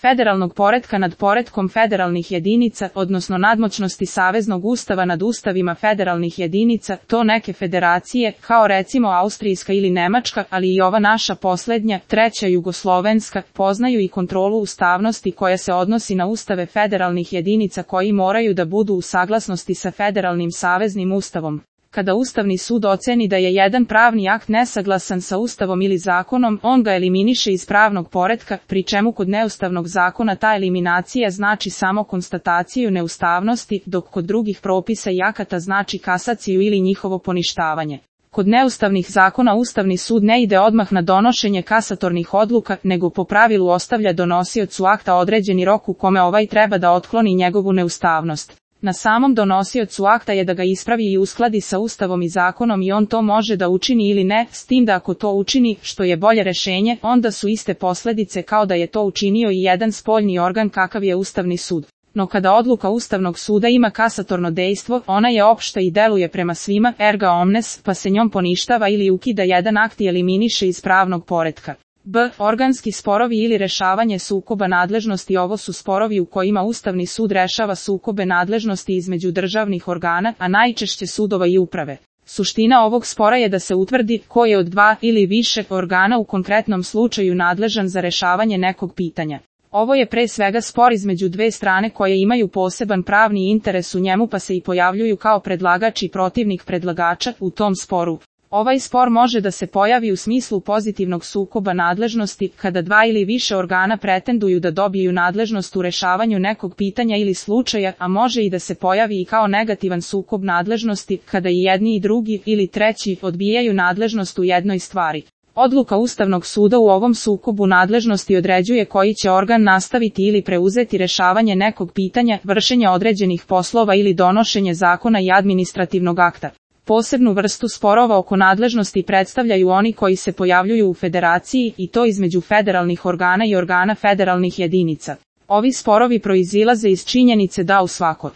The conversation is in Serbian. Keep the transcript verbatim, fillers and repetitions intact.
federalnog poretka nad poretkom federalnih jedinica, odnosno nadmoćnosti saveznog ustava nad ustavima federalnih jedinica, to neke federacije, kao recimo Austrijska ili Nemačka, ali i ova naša poslednja, treća jugoslovenska, poznaju i kontrolu ustavnosti koja se odnosi na ustave federalnih jedinica koji moraju da budu u saglasnosti sa federalnim saveznim ustavom. Kada Ustavni sud oceni da je jedan pravni akt nesaglasan sa Ustavom ili zakonom, on ga eliminiše iz pravnog poretka, pri čemu kod neustavnog zakona ta eliminacija znači samo konstataciju neustavnosti, dok kod drugih propisa i akata znači kasaciju ili njihovo poništavanje. Kod neustavnih zakona Ustavni sud ne ide odmah na donošenje kasatornih odluka, nego po pravilu ostavlja donosiocu akta određeni rok u kome ovaj treba da otkloni njegovu neustavnost. Na samom donosiocu akta je da ga ispravi i uskladi sa Ustavom i zakonom i on to može da učini ili ne, s tim da ako to učini, što je bolje rešenje, onda su iste posledice kao da je to učinio i jedan spoljni organ kakav je Ustavni sud. No kada odluka Ustavnog suda ima kasatorno dejstvo, ona je opšta i deluje prema svima, erga omnes, pa se njom poništava ili ukida jedan akt i eliminiše iz pravnog poretka. B. Organski sporovi ili rešavanje sukoba nadležnosti. Ovo su sporovi u kojima Ustavni sud rešava sukobe nadležnosti između državnih organa, a najčešće sudova i uprave. Suština ovog spora je da se utvrdi ko je od dva ili više organa u konkretnom slučaju nadležan za rešavanje nekog pitanja. Ovo je pre svega spor između dve strane koje imaju poseban pravni interes u njemu pa se i pojavljuju kao predlagač i protivnik predlagača u tom sporu. Ovaj spor može da se pojavi u smislu pozitivnog sukoba nadležnosti, kada dva ili više organa pretenduju da dobiju nadležnost u rešavanju nekog pitanja ili slučaja, a može i da se pojavi i kao negativan sukob nadležnosti, kada i jedni i drugi ili treći odbijaju nadležnost u jednoj stvari. Odluka Ustavnog suda u ovom sukobu nadležnosti određuje koji će organ nastaviti ili preuzeti rešavanje nekog pitanja, vršenje određenih poslova ili donošenje zakona i administrativnog akta. Posebnu vrstu sporova oko nadležnosti predstavljaju oni koji se pojavljuju u federaciji, i to između federalnih organa i organa federalnih jedinica. Ovi sporovi proizilaze iz činjenice da u svakoj